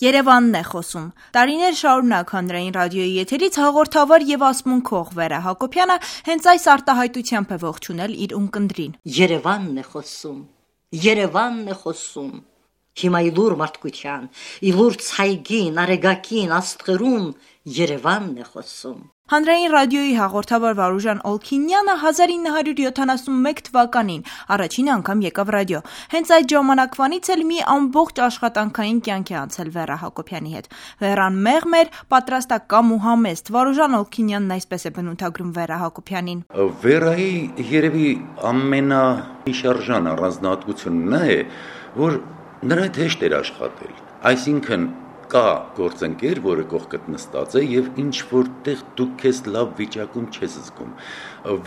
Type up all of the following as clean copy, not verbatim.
Երևանն է խոսում։ Տարիներ շարունակ հանրային ռադիոյի եթերից հաղորդավար եւ ասմունքող Վերա Հակոբյանը հենց այս արտահայտությամբ է ողջունել իր ունկնդրին։ Երևանն է խոսում։ Երևանն է խոսում։ Հիմա իլուր մարդկության, իլուր ցայգին, արեգակին, աստղերուն Երևանն է խոսում։ Հանրային ռադիոյի հաղորդավար Վարուժան Օլքինյանը 1971 թվականին առաջին անգամ եկավ ռադիո։ Հենց այդ ժամանակվանից էլ մի ամբողջ աշխատանքային կյանք է անցել Վերա Հակոբյանի հետ։ Վերան մեղմ էր, պատրաստակամ ու համեստ։ Վարուժան Օլքինյանն այսպես է բնութագրում Վերա Հակոբյանին։ Վերայի երևի ամենաշարժան առանձնահատկությունն է, որ նրա հետ հեշտ էր աշխատել։ Այսինքն կա գործընկեր, որը կողքդ նստած է եւ ինչ որտեղ դու քեզ լավ վիճակում չես զգում։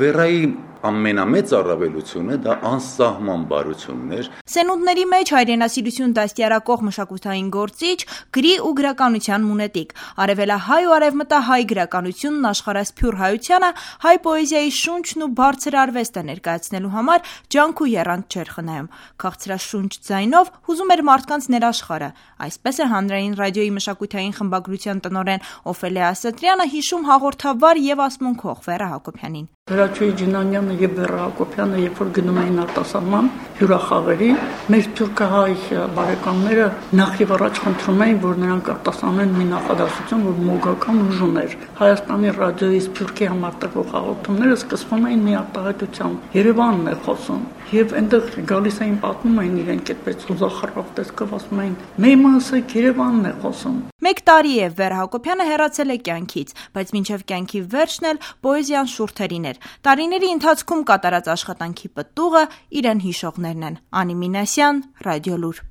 Վերայի ամենամեծ առավելությունը դա անսահման բարությունն էր։ Սենունդների մեջ հայրենասիրություն դաստիարակող մշակութային գործիչ, գրի ու գրականության մունետիկ, արևելահայ ու արևմտահայ գրականությունն աշխարհասփյուռ հայությանը հայ պոեզիայի շունչն ու բարձր արվեստը ներկայացնելու համար ջանք ու եռանդ չէր խնայում։ Քաղցրաշունչ ձայնով հուզում էր մարդկանց ներաշխարհը։ Այսպես է հանրային ռադիոյի մշակութային խմբագրության տնօրեն Օֆելիա Ասատրյանը հիշում հաղորդավար եւ ասմունքող Վերա Հակոբյանին։ Հրաչուհի Ջինանյանը եւ Վերա Հակոբյանը երբ որ գնում էին արտասահման հյուրախաղերի, մեր թուրքահայ բարեկամները նախ եւ առաջ խնդրում էին, որ նրանք արտասանեն մի նախադասություն, որ մոգական ուժ ուներ։ Հայաստանի ռադիոյի Սփյուռքի համար տվող հաղորդումները սկսվում էին մի արտահայտությամբ։ Երևանն է խոսում։ Եվ այնտեղ գալիս էին պատմում էին իրենք այդպես ուզախառավ տեսքով ասում էին. «Մեմասեք Երևանն է խոսում»։ 1 տարի է Վերա Հակոբյանը հեռացել է կյանքից, բայց մինչև կյանքի վերջն էլ պոեզիան շուրթերին էր։ Տարիների ընթացքում կատարած աշխատանքի պտուղը իրեն հիշողներն են։ Անի Մինասյան, Ռադիոլուր։